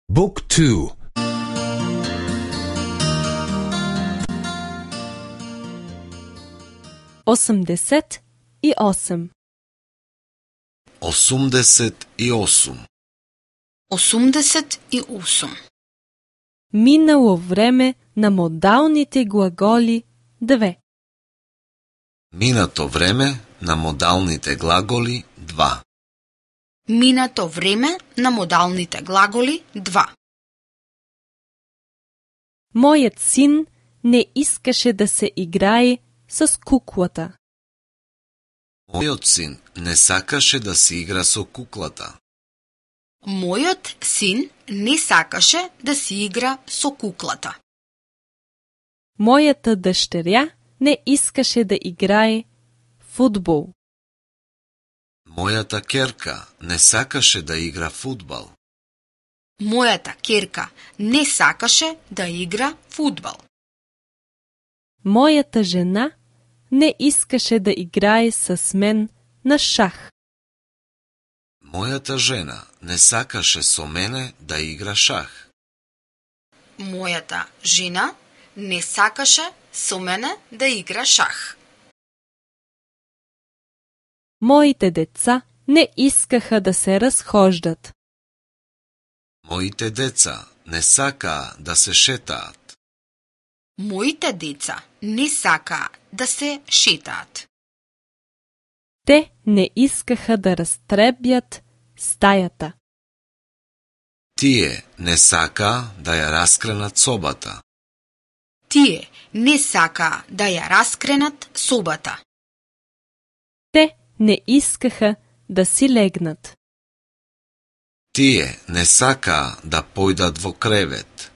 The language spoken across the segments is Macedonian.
Book 2. 88. 88. 88. Минало време на модалните глаголи 2. Минато време на модалните глаголи 2. Минато време на модалните глаголи 2. Мојот син не искаше да се играе с куклата. Мојот син не сакаше да се игра со куклата. Мојот син не сакаше да се игра со куклата. Мојата дъщеря не искаше да играе фудбал. Мојата ќерка не сакаше да игра фудбал. Мојата ќерка не сакаше да игра фудбал. Мојата жена не искаше да играе с мен на шах. Мојата жена не сакаше со мене да игра шах. Мојата жена не сакаше со мене да игра шах. Моите деца не искаха да се разхождат. Моите деца не сакаа да се шетаат. Моите деца не сакаа да се шетаат. Те не искаха да растребјат стајата. Тие не сакаа да ја раскренат собата. Тие не сакаа да ја раскренат собата. Те не искаха да си легнат. Тие не сакаа да појдат во кревет.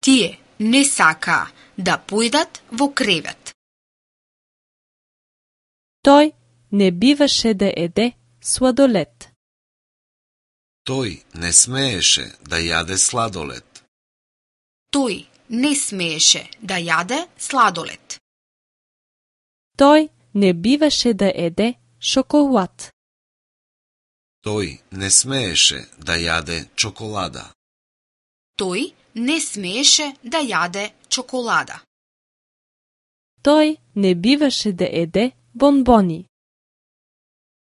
Тие не сакаа да појдат во кревет. Тој не биваше да еде сладолед. Тој не смееше да јаде сладолед. Тој не смееше да јаде сладолед. Тој не биваше да еде шоколад. Тој не смееше да јаде чоколада. Тој не смееше да јаде чоколада. Тој не биваше да еде бонбони.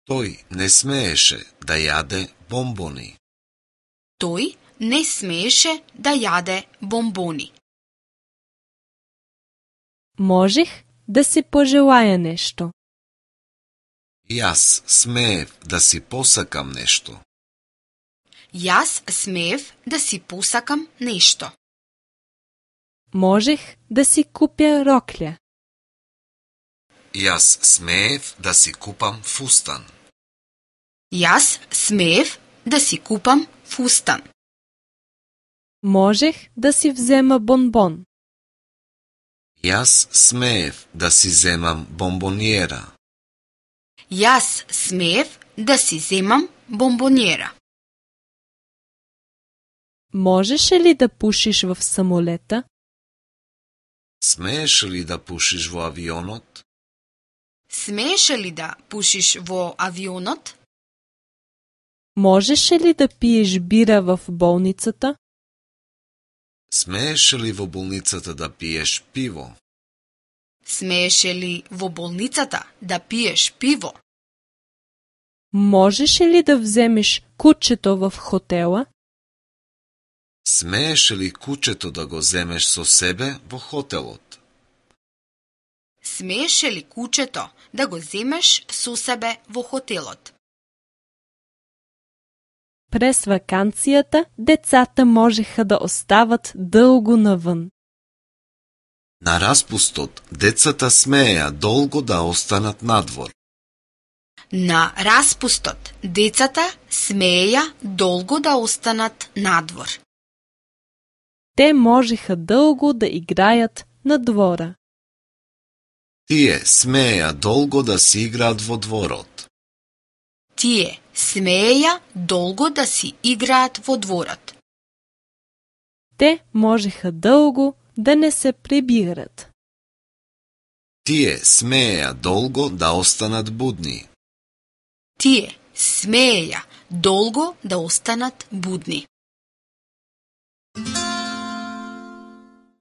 Тој не смееше да јаде бомбони. Тој не смееше да јаде бомбони. Можех да си пожелаја нешто. Јас смеев да си посакам нешто. Јас смеев да си посакам нешто. Можех да си купя роклја. Јас смеев да си купам фустан. Јас смеев да си купам фустан. Можех да си взема бонбон. Јас смеев да си земам бомбониера. Јас смеев да си земам бомбониера. Можеше ли да пушиш в самолета? Смееше ли да пушиш во авионот? Смееше ли да пушиш во авионот? Можеше ли да пиеш бира в болницата? Смееше ли во болницата да пиеш пиво? Смееше ли во болницата да пиеш пиво? Можеше ли да вземеш кучето в хотела? Смееше ли кучето да го земеш со себе во хотелот? Смееше ли кучето да го земеш со себе во хотелот? През ваканцијата децата можеха да остават дълго навън. На распустот, децата смееа долго да останат надвор. На распустот, децата смееја долго да останат надвор. Те можеха дълго да играят на двора. Тие смееа долго да си играат во дворот. Тие смееја долго да си играат во дворот. Те можеха дълго да не се прибират. Тие смееа долго да останат будни. Тие смееја долго да останат будни.